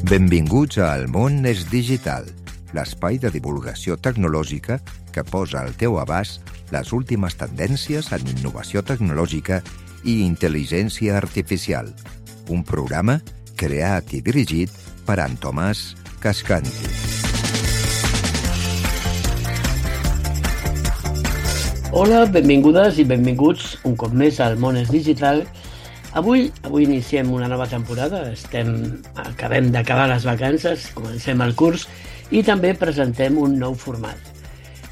Benvinguts a El món és digital, l'espai de divulgació tecnològica que posa al teu abast les últimes tendències en innovació tecnològica i intel·ligència artificial. Un programa creat i dirigit per en Tomàs Cascanti. Hola, benvingudes i benvinguts un cop més al món és digital. Avui iniciem una nova temporada, acabem d'acabar les vacances, comencem el curs i també presentem un nou format,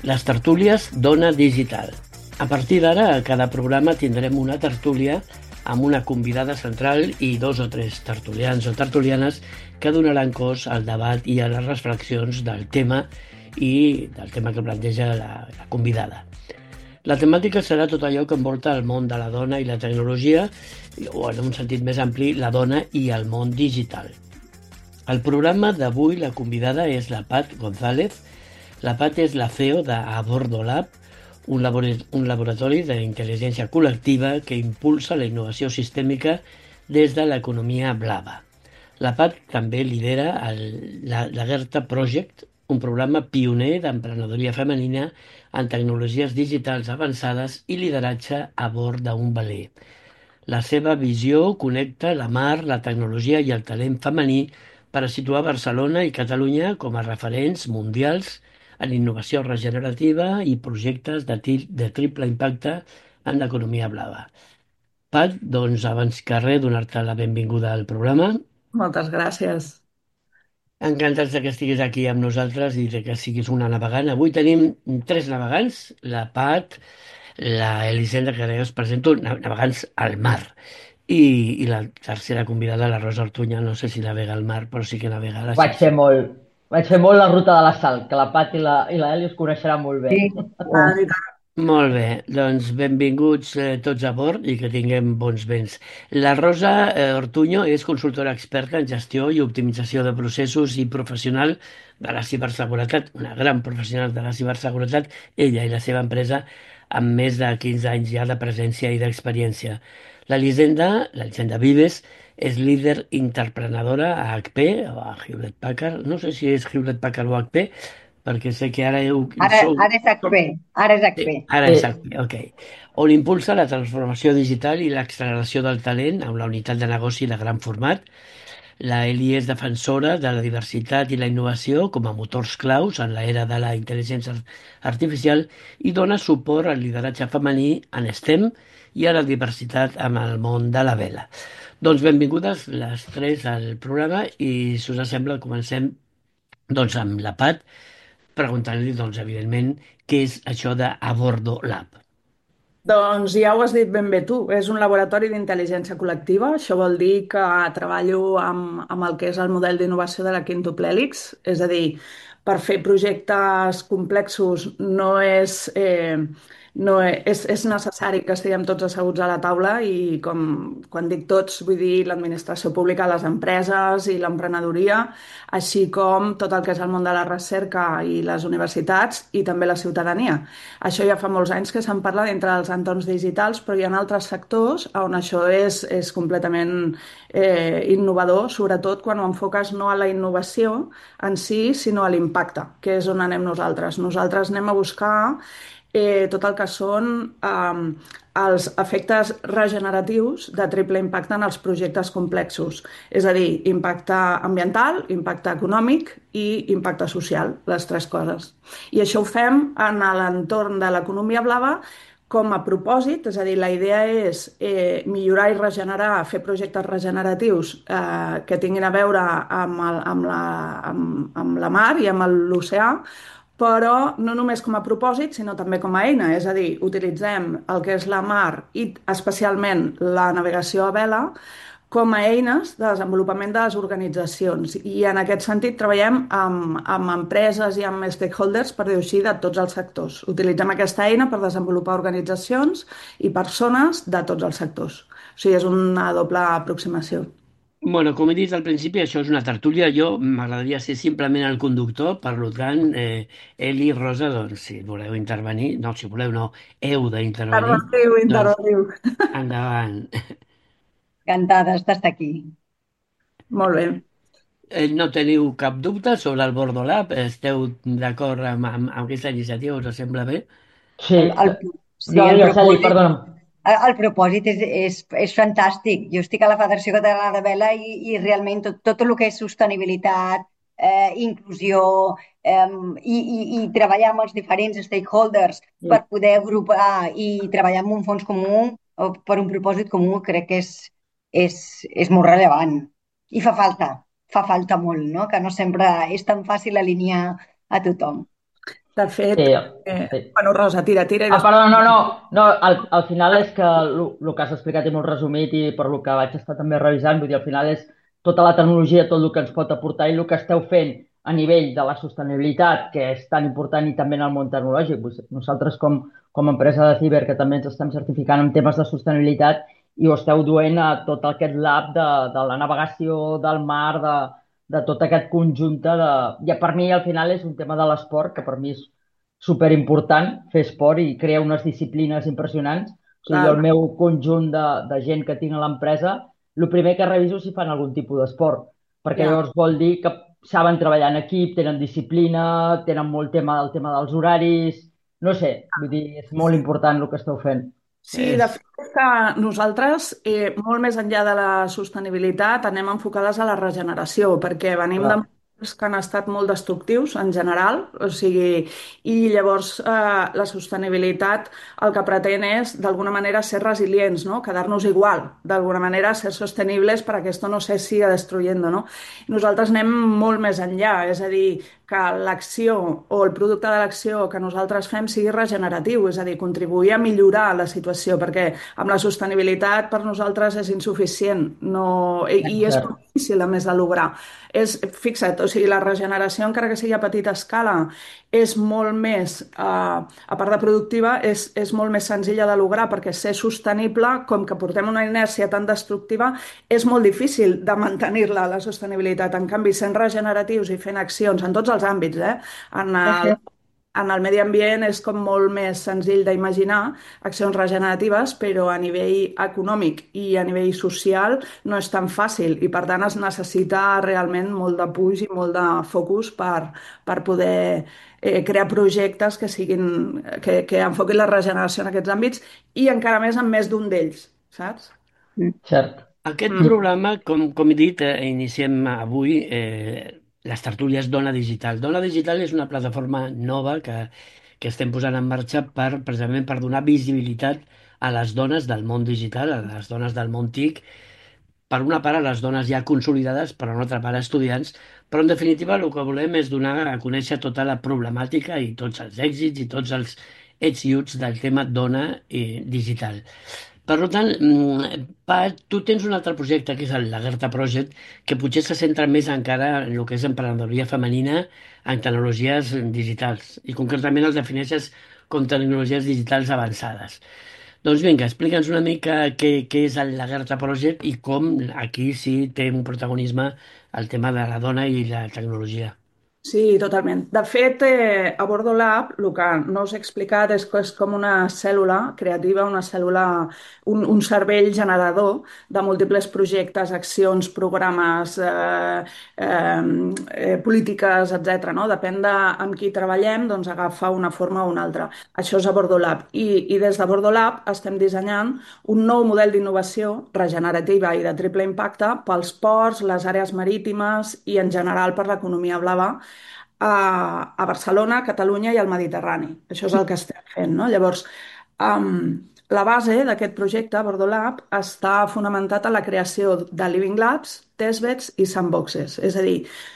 les tertúlies d'Ona Digital. A partir d'ara, a cada programa tindrem una tertúlia amb una convidada central i 2 o 3 tertulians o tertulianes que donaran cos al debat i a les reflexions del tema i del tema que planteja la convidada. La temàtica serà tot allò que envolta el món de la dona i la tecnologia, o en un sentit més ampli, la dona i el món digital. Al programa d'avui la convidada és la Pat González. La Pat és la CEO d'Abordo Lab, un laboratori d'intel·ligència col·lectiva que impulsa la innovació sistèmica des de l'economia blava. La Pat també lidera la Gerta Project, un programa pioner d'emprenedoria femenina en tecnologies digitals avançades i lideratge a bord d'un veler. La seva visió connecta la mar, la tecnologia i el talent femení per a situar Barcelona i Catalunya com a referents mundials en innovació regenerativa i projectes de triple impacte en l'economia blava. Pat, doncs, abans que res, donar-te la benvinguda al programa. Moltes gràcies. Encantats que estiguis aquí amb nosaltres i que siguis una navegant. Avui tenim 3 navegants, la Pat, la Elisenda, que ara us presento, navegants al mar. I la tercera convidada, la Rosa Ortuña, no sé si navega al mar, però sí que navega a la Vaig fer molt la ruta de la Sal, que la Pat i la Eli us coneixeran molt bé. Sí, Molt bé, doncs benvinguts tots a bord i que tinguem bons vents. La Rosa Ortuño és consultora experta en gestió i optimització de processos i professional de la ciberseguretat, una gran professional de la ciberseguretat, ella i la seva empresa, amb més de 15 anys ja de presència i d'experiència. l'Elisenda Vives, és líder interprenedora a HP o a Hewlett Packard, no sé si és Hewlett Packard o HP, perquè sé que ara Ara és HP, ara és HP. Sí, ara és HP, ok. On impulsa la transformació digital i l'acceleració del talent amb la unitat de negoci de gran format. La Eli és defensora de la diversitat i la innovació com a motors claus en l'era de la intel·ligència artificial i dona suport al lideratge femení en STEM i a la diversitat amb el món de la vela. Doncs benvingudes les 3 al programa i, si us sembla, comencem doncs, amb la Pat, preguntant-li, doncs, evidentment, què és això d'Abordo Lab. Doncs ja ho has dit ben bé tu, és un laboratori d'intel·ligència col·lectiva. Això vol dir que treballo amb el que és el model d'innovació de la Quíntuple Hèlix, és a dir, per fer projectes complexos és necessari que estiguem tots asseguts a la taula i quan dic tots vull dir l'administració pública, les empreses i l'emprenedoria, així com tot el que és el món de la recerca i les universitats i també la ciutadania. Això ja fa molts anys que se'n parla dintre dels entorns digitals, però hi ha altres sectors on això és completament innovador, sobretot quan ho enfoques no a la innovació en si, sinó a l'impacte, que és on anem nosaltres. Nosaltres anem a buscar tot el que són els efectes regeneratius de triple impacte en els projectes complexos. És a dir, impacte ambiental, impacte econòmic i impacte social, les 3 coses. I això ho fem en l'entorn de l'economia blava com a propòsit, és a dir, la idea és millorar i regenerar, fer projectes regeneratius que tinguin a veure amb la mar i amb l'oceà, però no només com a propòsit, sinó també com a eina. És a dir, utilitzem el que és la mar i especialment la navegació a vela com a eines de desenvolupament de les organitzacions. I en aquest sentit treballem amb empreses i amb stakeholders, per dir-ho així, de tots els sectors. Utilitzem aquesta eina per desenvolupar organitzacions i persones de tots els sectors. O sigui, és una doble aproximació. Bueno, com he dit al principi, això és una tertúlia. Jo m'agradaria ser simplement el conductor, per tant, Eli i Rosa, doncs, si voleu intervenir, no, si voleu no, heu d'intervenir, Interrogatiu. doncs endavant. Encantades d'estar aquí. Molt bé. No teniu cap dubte sobre el Bordo Lab? Esteu d'acord amb aquesta iniciativa? Us sembla bé? Sí, El, el, sí, no, el jo, Celi, propòsit, perdona'm. el propòsit és fantàstic. Jo estic a la Federació Catalana de Vela i realment tot el que és sostenibilitat, inclusió i treballar amb els diferents stakeholders per poder agrupar i treballar amb un fons comú o per un propòsit comú crec que és molt rellevant. I fa falta molt, no? Que no sempre és tan fàcil alinear a tothom. De Sí, fet, sí. bueno, Rosa, tira i Ah, després... perdó, no, al final és que el que has explicat i molt resumit i per lo que vaig estar també revisant, vull dir, al final és tota la tecnologia, tot el que ens pot aportar i el que esteu fent a nivell de la sostenibilitat, que és tan important i també en el món tecnològic. Nosaltres com a empresa de ciber, que també ens estem certificant en temes de sostenibilitat i ho esteu duent a tot aquest lab de la navegació, del mar, de tot aquest conjunt de... Ja per mi al final és un tema de l'esport, que per mi és superimportant fer esport i crear unes disciplines impressionants. O sigui, jo Clar, el meu conjunt de gent que tinc a l'empresa, el primer que reviso és si fan algun tipus d'esport, perquè ja. llavors vol dir que saben treballar en equip, tenen disciplina, tenen molt tema del tema dels horaris, no sé, vull dir, és molt important el que esteu fent. Sí, de fet és que nosaltres, molt més enllà de la sostenibilitat, anem enfocades a la regeneració, perquè venim de Clar, models que han estat molt destructius en general, o sigui, i llavors la sostenibilitat el que pretén és, d'alguna manera, ser resilients, no? Quedar-nos igual, d'alguna manera, ser sostenibles para que esto no se siga destruyendo, no? Nosaltres anem molt més enllà, és a dir, que l'acció o el producte de l'acció que nosaltres fem sigui regeneratiu, és a dir, contribuir a millorar la situació, perquè amb la sostenibilitat per nosaltres és insuficient no, i és cert, molt difícil a més de lograr. Fixa't, o sigui, la regeneració, encara que sigui a petita escala, és molt més, a part de productiva, és molt més senzilla de lograr, perquè ser sostenible, com que portem una inèrcia tan destructiva, és molt difícil de mantenir-la, la sostenibilitat. En canvi, sent regeneratius i fent accions en tots els àmbits, en el, en el medi ambient és com molt més senzill d'imaginar accions regeneratives, però a nivell econòmic i a nivell social no és tan fàcil i per tant es necessita realment molt de puix i molt de focus per poder crear projectes que siguin, que enfoquin la regeneració en aquests àmbits i encara més en més d'un d'ells, saps? cert. Aquest Mm. programa, com he dit, iniciem avui les tertúlies Dona Digital. Dona Digital és una plataforma nova que estem posant en marxa precisament per donar visibilitat a les dones del món digital, a les dones del món TIC, per una part a les dones ja consolidades, per una altra part a estudiants, però en definitiva el que volem és donar a conèixer tota la problemàtica i tots els èxits i tots els ets i uts del tema dona digital. Per tant, tu tens un altre projecte, que és el Lagerta Project, que potser se centra més encara en el que és emprenedoria femenina en tecnologies digitals, i concretament el defineixes com tecnologies digitals avançades. Doncs vinga, explica'ns una mica què és el Lagerta Project i com aquí sí té un protagonisme el tema de la dona i la tecnologia. Sí, totalment. De fet, a Bordo Lab, el que no us he explicat és que és com una cèl·lula creativa, una cèl·lula, un cervell generador de múltiples projectes, accions, programes, polítiques, etc. No? Depèn de amb qui treballem, doncs agafa una forma o una altra. Això és a Bordo Lab. I des de Bordo Lab estem dissenyant un nou model d'innovació regenerativa i de triple impacte pels ports, les àrees marítimes i en general per l'economia blava a Barcelona, Catalunya i al Mediterrani. Això és el que estem fent, no? Llavors, la base d'aquest projecte, Bordolab, està fonamentat en la creació de Living Labs, testbeds i sandboxes, és a dir,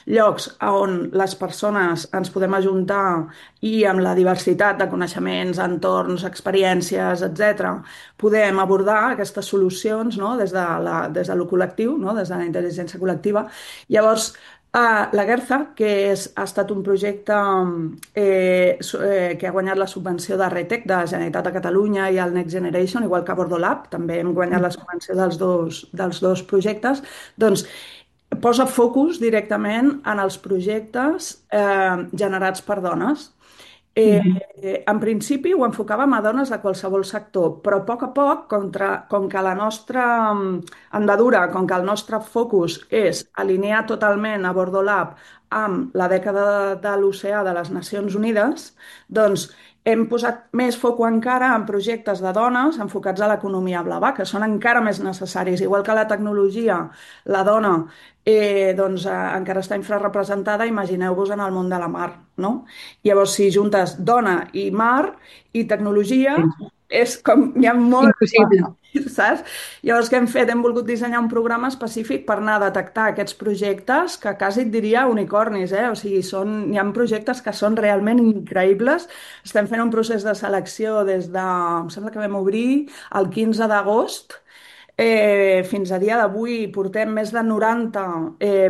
llocs on les persones ens podem ajuntar i amb la diversitat de coneixements, entorns, experiències, etc., podem abordar aquestes solucions, no? Des de lo col·lectiu, no? Des de la intel·ligència col·lectiva. Llavors, la Guerza, ha estat un projecte que ha guanyat la subvenció de RETEC de la Generalitat de Catalunya i el Next Generation, igual que Bordolab, també hem guanyat la subvenció dels dos projectes, doncs posa focus directament en els projectes generats per dones En principi ho enfocàvem a dones de qualsevol sector, però a poc, com que la nostra andadura, com que el nostre focus és alinear totalment a Bordo Lab amb la dècada de l'oceà de les Nacions Unides, doncs hem posat més foc encara en projectes de dones enfocats a l'economia blava, que són encara més necessaris. Igual que la tecnologia, la dona encara està infrarrepresentada, imagineu-vos en el món de la mar, no? Llavors, si juntes dona i mar i tecnologia, és com, hi ha molt, Impossible. saps? Llavors, què hem fet? Hem volgut dissenyar un programa específic per anar a detectar aquests projectes que quasi et diria unicornis, eh? O sigui, hi ha projectes que són realment increïbles. Estem fent un procés de selecció des de, em sembla que vam obrir el 15 d'agost. Fins a dia d'avui portem més de 90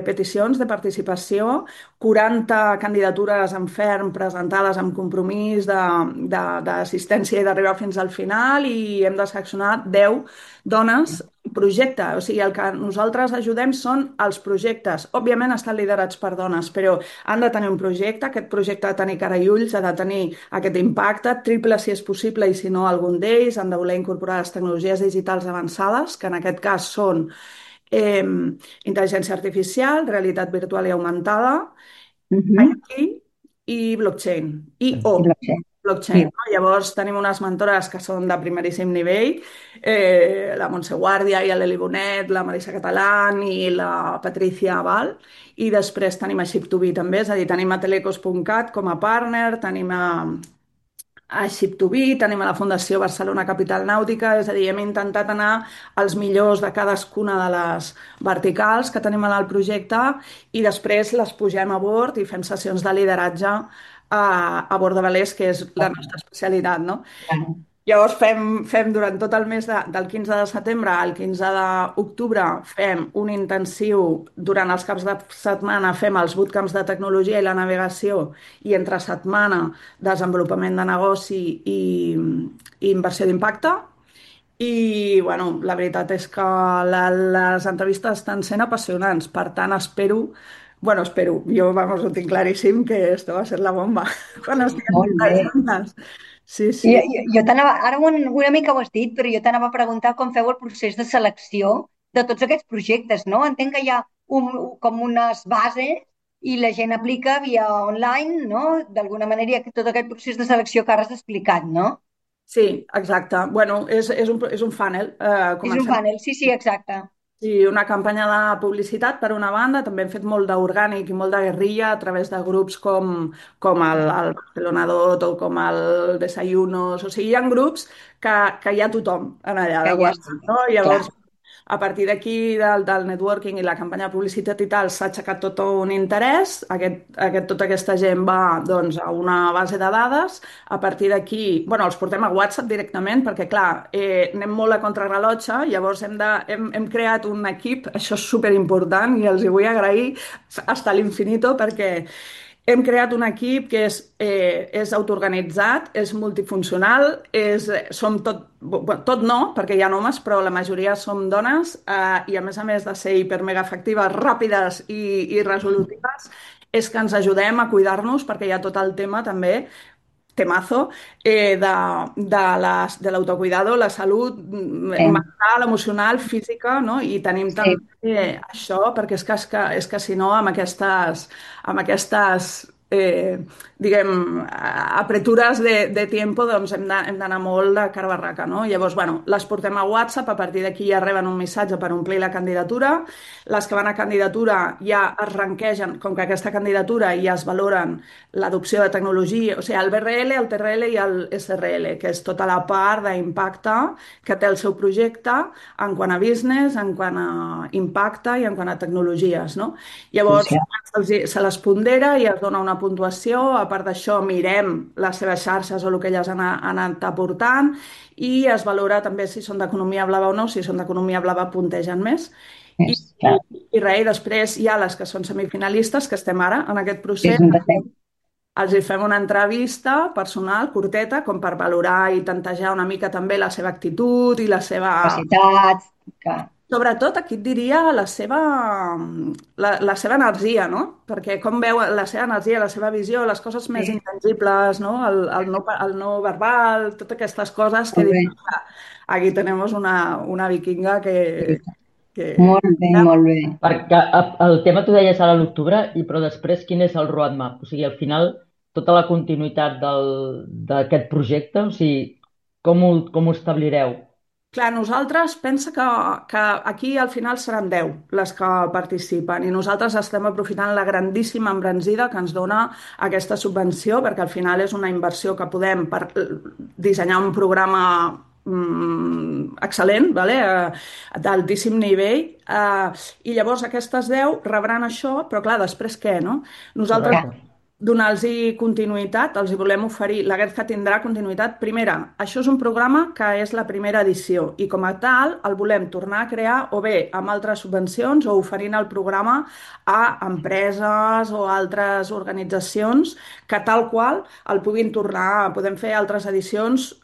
peticions de participació, 40 candidatures en ferm presentades amb compromís d'assistència i d'arribar fins al final i hem de seleccionar 10 dones projecte. O sigui, el que nosaltres ajudem són els projectes. Òbviament estan liderats per dones, però han de tenir un projecte, aquest projecte ha de tenir cara i ulls, ha de tenir aquest impacte, triple si és possible i si no algun d'ells, han de voler incorporar les tecnologies digitals avançades, que en aquest cas són intel·ligència artificial, realitat virtual i augmentada, IT i blockchain. I blockchain. Blockchain, no? Llavors tenim unes mentores que són de primeríssim nivell, la Montse Guàrdia i l'Eli Bonet, la Marisa Catalán i la Patricia Aval, i després tenim a Ship2B també, és a dir, tenim a Telecos.cat com a partner, tenim a Ship2B, tenim a la Fundació Barcelona Capital Nàutica, és a dir, hem intentat anar als millors de cadascuna de les verticals que tenim en el projecte i després les pugem a bord i fem sessions de lideratge a bord de velers, que és la nostra especialitat, no? Llavors fem durant tot el mes del 15 de setembre al 15 d'octubre fem un intensiu, durant els caps de setmana fem els bootcamps de tecnologia i la navegació i entre setmana desenvolupament de negoci i inversió d'impacte. I, bueno, la veritat és que les entrevistes estan sent apassionants, per tant espero, jo vamos, ho tinc claríssim que esto va a ser la bomba quan estiguem Molt bé. juntes. Sí, Jo, sí. jo t'anava, ara una mica ho has dit, però jo t'anava a preguntar com feu el procés de selecció de tots aquests projectes, no? Entenc que hi ha com unes bases i la gent aplica via online, no? D'alguna manera hi ha tot aquest procés de selecció que ara has explicat, no? Sí, exacte. Bueno, és un funnel. És un Comencem panel, sí, sí, exacte. sí, una campanya de publicitat, per una banda. També hem fet molt d'orgànic i molt de guerrilla a través de grups com el Barcelona Dot o com el Desayunos. O sigui, hi ha grups que hi ha tothom en allà Que de ja WhatsApp, està. no? Clar. Llavors, a partir d'aquí, del networking i la campanya de publicitat i tal, s'ha aixecat tot un interès. Tota aquesta gent va, doncs, a una base de dades. A partir d'aquí, bueno, els portem a WhatsApp directament perquè, clar, anem molt a contrarrellotge, llavors hem creat un equip, això és superimportant i els hi vull agrair hasta l'infinito perquè hem creat un equip que és autoorganitzat, és multifuncional, som tot no, perquè hi ha homes, però la majoria som dones i a més de ser hipermega efectives, ràpides i resolutives, és que ens ajudem a cuidar-nos perquè hi ha tot el tema també temazo de l'autocuidado, la salut Sí, mental, emocional, física, no? I tenim sí. també això, perquè és que si no, amb aquestes diguem, apretures de tiempo, doncs hem d'anar molt de cara a barraca, no? Llavors, bueno, les portem a WhatsApp, a partir d'aquí ja reben un missatge per omplir la candidatura, les que van a candidatura ja es ranquegen, com que aquesta candidatura ja es valoren l'adopció de tecnologia, o sigui, el BRL, el TRL i el SRL, que és tota la part d'impacte que té el seu projecte en quant a business, en quant a impacte i en quant a tecnologies, no? Llavors, Sí. se les pondera i es dona una puntuació, a part d'això mirem les seves xarxes o el que elles han anat aportant i es valora també si són d'economia blava o no, si són d'economia blava puntegen més. I, És, clar, i res, i després hi ha les que són semifinalistes, que estem ara en aquest procés, és un defecte. els hi fem una entrevista personal, curteta, com per valorar i tantejar una mica també la seva actitud i la seva Capacitats, clar. Sobretot aquí et diria la seva energia, no? Perquè com veu la seva energia, la seva visió, les coses més Sí, intangibles, no? El no verbal, totes aquestes coses que molt bé. dius, "Ah, aquí tenemos una vikinga que... Molt bé, molt bé. Perquè el tema tu deies ara a l'octubre, però després quin és el roadmap? O sigui, al final, tota la continuïtat d'aquest projecte, o sigui, com ho establireu? Clar, nosaltres pensa que aquí al final seran 10 les que participen i nosaltres estem aprofitant la grandíssima embranzida que ens dona aquesta subvenció perquè al final és una inversió que podem per dissenyar un programa excel·lent, vale? D'altíssim nivell, i llavors aquestes 10 rebran això, però clar, després què, no? Nosaltres Correcte. donar-los continuïtat, els hi volem oferir, la Guerca tindrà continuïtat. Primera, això és un programa que és la primera edició i com a tal el volem tornar a crear o bé amb altres subvencions o oferint el programa a empreses o altres organitzacions que tal qual el puguin tornar, podem fer altres edicions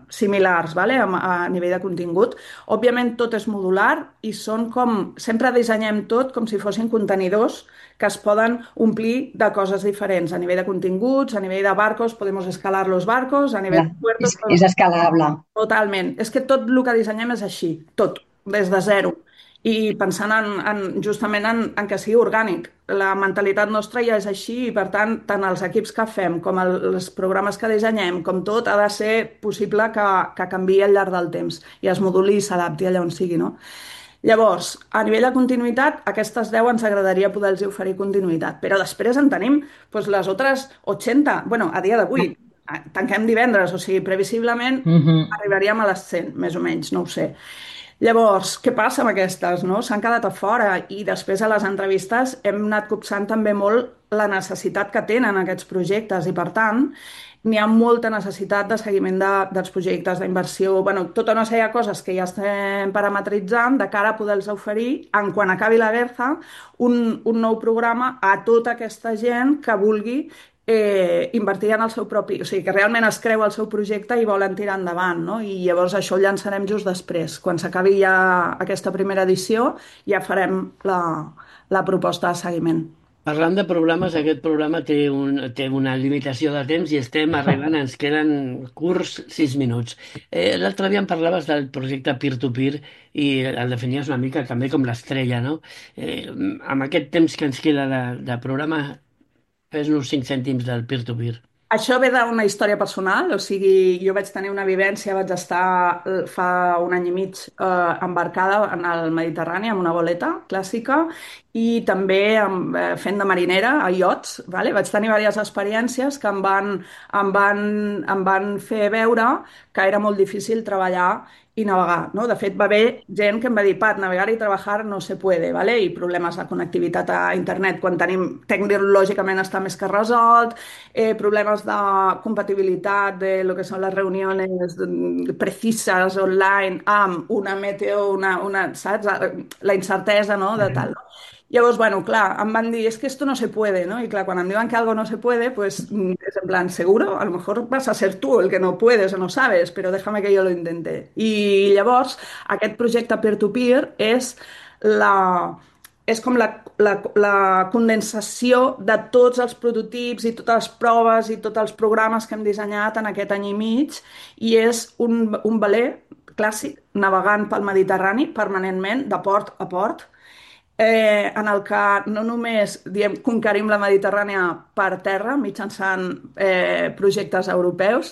similars, vale? A nivell de contingut. Òbviament tot és modular i són com, sempre dissenyem tot com si fossin contenidors que es poden omplir de coses diferents, a nivell de continguts, a nivell de barcos, podemos escalar los barcos, a nivell Clar, de puertos, és escalable. totalment. És que tot el que dissenyem és així, tot, des de zero. I pensant justament en que sigui orgànic. La mentalitat nostra ja és així i, per tant, tant els equips que fem com els programes que dissenyem, com tot, ha de ser possible que canviï al llarg del temps i es moduli i s'adapti allà on sigui, no? Llavors, a nivell de continuïtat, aquestes 10 ens agradaria poder-los oferir continuïtat, però després en tenim doncs, les altres 80, bueno, a dia d'avui, tanquem divendres, o sigui, previsiblement Mhm. arribaríem a les 100, més o menys, no ho sé. Llavors, què passa amb aquestes, no? S'han quedat a fora i després a les entrevistes hem anat copsant també molt la necessitat que tenen aquests projectes i, per tant, n'hi ha molta necessitat de seguiment dels projectes d'inversió, bueno, tota una sèrie de coses que ja estem parametritzant de cara a poder-los oferir, en quan acabi la guerra, un nou programa a tota aquesta gent que vulgui invertir en el seu propi... O sigui, que realment es creu el seu projecte i volen tirar endavant, no? I llavors això ho llançarem just després. Quan s'acabi ja aquesta primera edició, ja farem la proposta de seguiment. Parlant de programes, aquest programa té una limitació de temps i estem arribant, ens queden curts 6 minuts. L'altre dia em parlaves del projecte Peer-to-Peer i el definies una mica també com l'estrella, no? Amb aquest temps que ens queda de programa, fes-nos 5 cèntims del peer-to-peer. Això ve d'una història personal, o sigui, jo vaig tenir una vivència, vaig estar fa un any i mig embarcada en el Mediterrani amb una boleta clàssica i també fent de marinera a iots, vale? Vaig tenir diverses experiències que em van fer veure que era molt difícil treballar i navegar, no? De fet, va haver gent que em va dir, Pat, navegar i treballar no se puede, ¿vale? I problemes de connectivitat a internet quan tenim, tecnològicament està més que resolt, problemes de compatibilitat de lo que són les reunions precises online amb una meteo, saps? La incertesa, no? De tal, no? Llavors, bueno, clar, em van dir, es que esto no se puede, ¿no? Y claro, cuando em diuen que algo no se puede, pues es en plan, seguro, a lo mejor vas a ser tú el que no puedes o no sabes, pero déjame que yo lo intente. I llavors, aquest projecte peer-to-peer és com la condensació de tots els prototips i totes les proves i tots els programes que hem dissenyat en aquest any i mig i és un veler clàssic navegant pel Mediterrani permanentment, de port a port, en el que no només diem, conquerim la Mediterrània per terra mitjançant projectes europeus,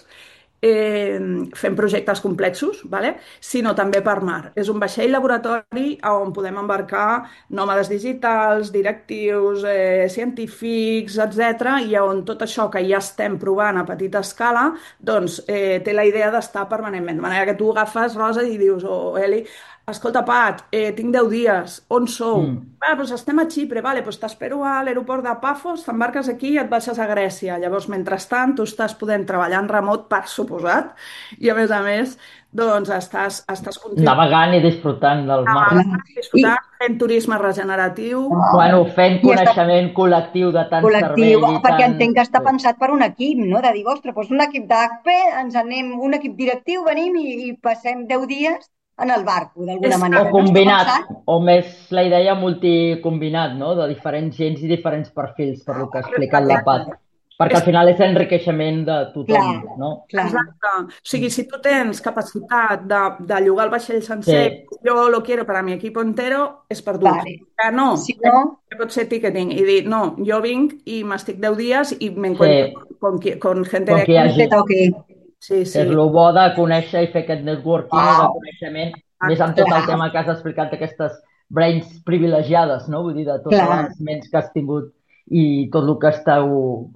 fem projectes complexos, vale? Sinó també per mar. És un vaixell laboratori on podem embarcar nòmades digitals, directius, científics, etc. I on tot això que ja estem provant a petita escala doncs, té la idea d'estar permanentment. De manera que tu agafes, Rosa, i dius, Eli, escolta, Pat, tinc 10 dies, on sou? Doncs estem a Xipre, vale, doncs t'espero a l'aeroport de Pafos, t'embarques aquí i et baixes a Grècia. Llavors, mentrestant, tu estàs podent treballar en remot, per suposat, i a més, doncs estàs content. Navegant i disfrutant del mar. Disfrutant, fent turisme regeneratiu. Bueno, fent I està coneixement col·lectiu de tant col·lectiu, cervell i perquè tant... entenc que està pensat per un equip, no? De dir, ostres, doncs un equip d'ACPE, ens anem, un equip directiu, venim i passem 10 dies en el barco, d'alguna manera. O combinat, o més la idea multicombinat, no? De diferents gens i diferents perfils, per lo que ha explicat la Pat. Perquè al final és enriqueixement de tothom, no? Clar. Exacte. O sigui, si tu tens capacitat de llogar el vaixell sencer, jo lo quiero para mi equipo entero, és per tu. Vale. Que no, Si no, pot ser ticketing i dir, no, jo vinc i m'estic 10 dies i m'encuentro con gente Con qui hagi. te toqui. Sí. És el bo de conèixer i fer aquest networking i de coneixement, més amb tot el tema que has explicat d'aquestes brains privilegiades, no? Vull dir, de totes les ments que has tingut i tot el que esteu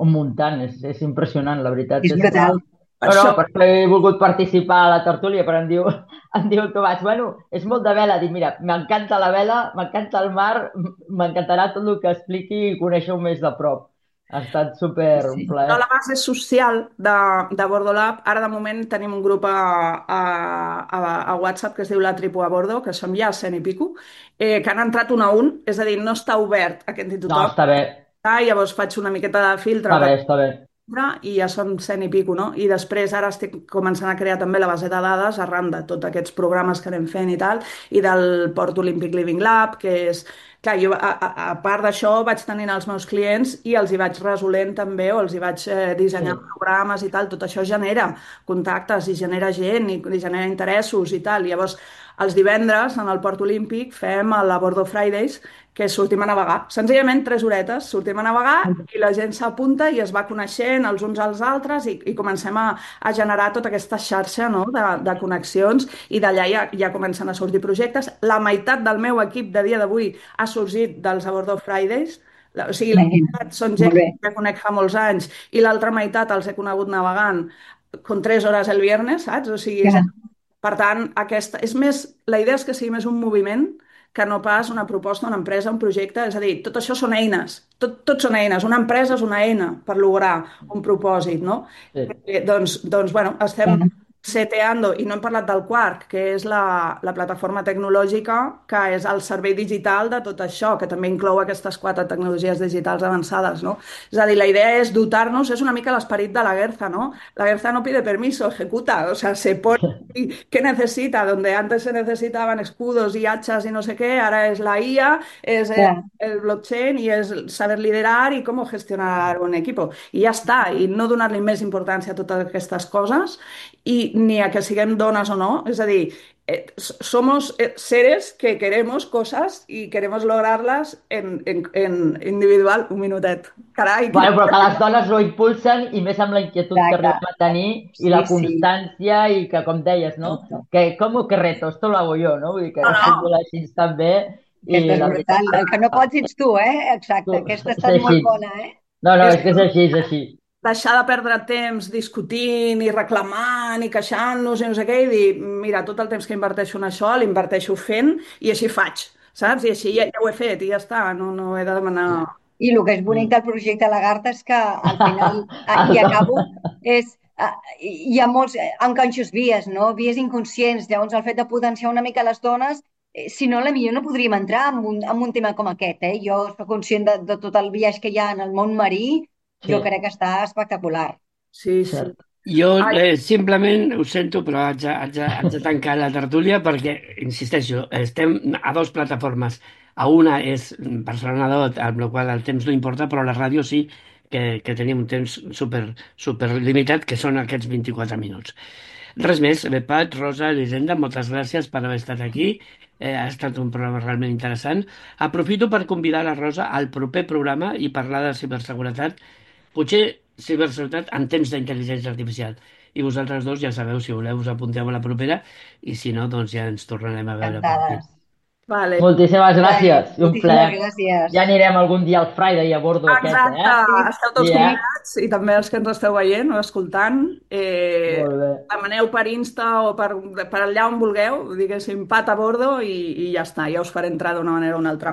muntant. És impressionant, la veritat. És brutal. No, per això he volgut participar a la tertúlia, però em diu el Tomàs, bueno, és molt de vela. Dic, mira, m'encanta la vela, m'encanta el mar, m'encantarà tot el que expliqui i conèixer-ho més de prop. Ha estat super un plaer. La base social de Bordolab, ara de moment tenim un grup a WhatsApp que es diu La Tripu a Bordo, que som ja 100 i pico, que han entrat un a un, és a dir, no està obert a que entri tothom. No, està bé. Llavors faig una miqueta de filtre. Està bé. I ja són 100 i pico, no? I després ara estic començant a crear també la base de dades arran de tots aquests programes que anem fent i tal, i del Port Olímpic Living Lab, que és... Clar, jo a part d'això vaig tenint els meus clients i els hi vaig resolent també, o els hi vaig dissenyant programes i tal, tot això genera contactes i genera gent i genera interessos i tal. Llavors, els divendres en el Port Olímpic fem la Bordo Fridays, que sortim a navegar. Senzillament 3 horetes, sortim a navegar i la gent s'apunta i es va coneixent els uns als altres i comencem a generar tota aquesta xarxa, no? de connexions, i d'allà ja comencen a sortir projectes. La meitat del meu equip de dia d'avui ha sorgit dels A Bordo Fridays. O sigui, la meitat són gent que conec fa molts anys i l'altra meitat els he conegut navegant con 3 hores el viernes, saps? O sigui, per tant, la idea és que sigui més un moviment que no pas una proposta, una empresa, un projecte. És a dir, tot això són eines. Tot són eines. Una empresa és una eina per lograr un propòsit, no? Doncs, bueno, estem seteando, i no hem parlat del Quark, que és la plataforma tecnològica que és el servei digital de tot això, que també inclou aquestes 4 tecnologies digitals avançades, no? És a dir, la idea és dotar-nos, és una mica l'esperit de la Guerza, ¿no? La Guerza no pide permiso, ejecuta, o sea, se pone ¿qué necesita? Donde antes se necesitaban escudos y hachas y no sé qué, ahora es la IA, es el blockchain y es saber liderar y cómo gestionar un equipo. I ja està, i no donar-li més importància a totes aquestes coses i ni a que siguem dones o no. És a dir, somos seres que queremos cosas y queremos lograrlas en individual. Un minutet. Carai. Bueno, però que les dones ho impulsen i més amb la inquietud que arribem a tenir i la constància i que, com deies, no? Que com que reto, esto lo hago yo, no? Vull dir que no. Així també. Aquesta és brutal. El que no pots ets tu, Exacte. Aquesta ha estat molt bona, No, és que és així, és així. Deixar de perdre temps discutint i reclamant i queixant-nos i no sé què, i dir, mira, tot el temps que inverteixo en això l'inverteixo fent i així faig, saps? I així ja ho he fet i ja està, no he de demanar... I el que és bonic del projecte Lagarta és que al final, i acabo, hi ha molts enganxos vies, no? Vies inconscients. Llavors el fet de potenciar una mica les dones, si no, potser no podríem entrar en un tema com aquest. Jo soc conscient de tot el viatge que hi ha en el món marí. Jo crec que està espectacular. Sí. Jo simplement ho sento, però haig de tancar la tertúlia perquè, insisteixo, estem a 2 plataformes. A una és Barcelona 2, amb la qual el temps no importa, però a la ràdio sí que tenim un temps super limitat, que són aquests 24 minuts. Res més. Pat, Rosa, Elisenda, moltes gràcies per haver estat aquí. Ha estat un programa realment interessant. Aprofito per convidar la Rosa al proper programa i parlar de ciberseguretat. Potser ciberseguretat en temps d'intel·ligència artificial. I vosaltres dos ja sabeu, si voleu, us apunteu a la propera i si no, doncs ja ens tornarem a veure per aquí. Vale. Moltíssimes gràcies. Un plaer. Gràcies. Ja anirem algun dia al Friday a bordo aquest, Exacte. Esteu tots convidats i també els que ens esteu veient o escoltant. Demaneu per Insta o per allà on vulgueu, diguéssim, Pat a bordo i ja està. Ja us faré entrar d'una manera o una altra.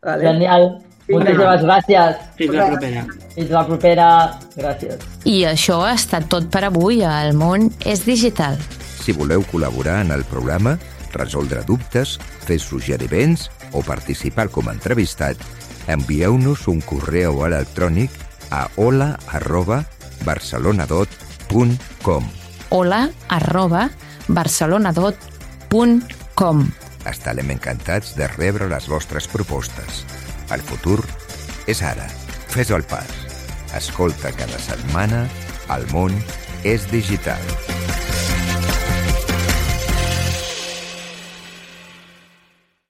Vale. Genial. Moltíssimes gràcies. Fins la propera. Fins la propera. Gràcies. I això ha estat tot per avui a El Món és Digital. Si voleu col·laborar en el programa, resoldre dubtes, fer suggeriments o participar com a entrevistat, envieu-nos un correu electrònic a hola@barcelonadot.com hola@barcelonadot.com www.almonesidigital.com. Estarem encantats de rebre les vostres propostes. El futur és ara. Fes el pas. Escolta cada setmana El món és digital.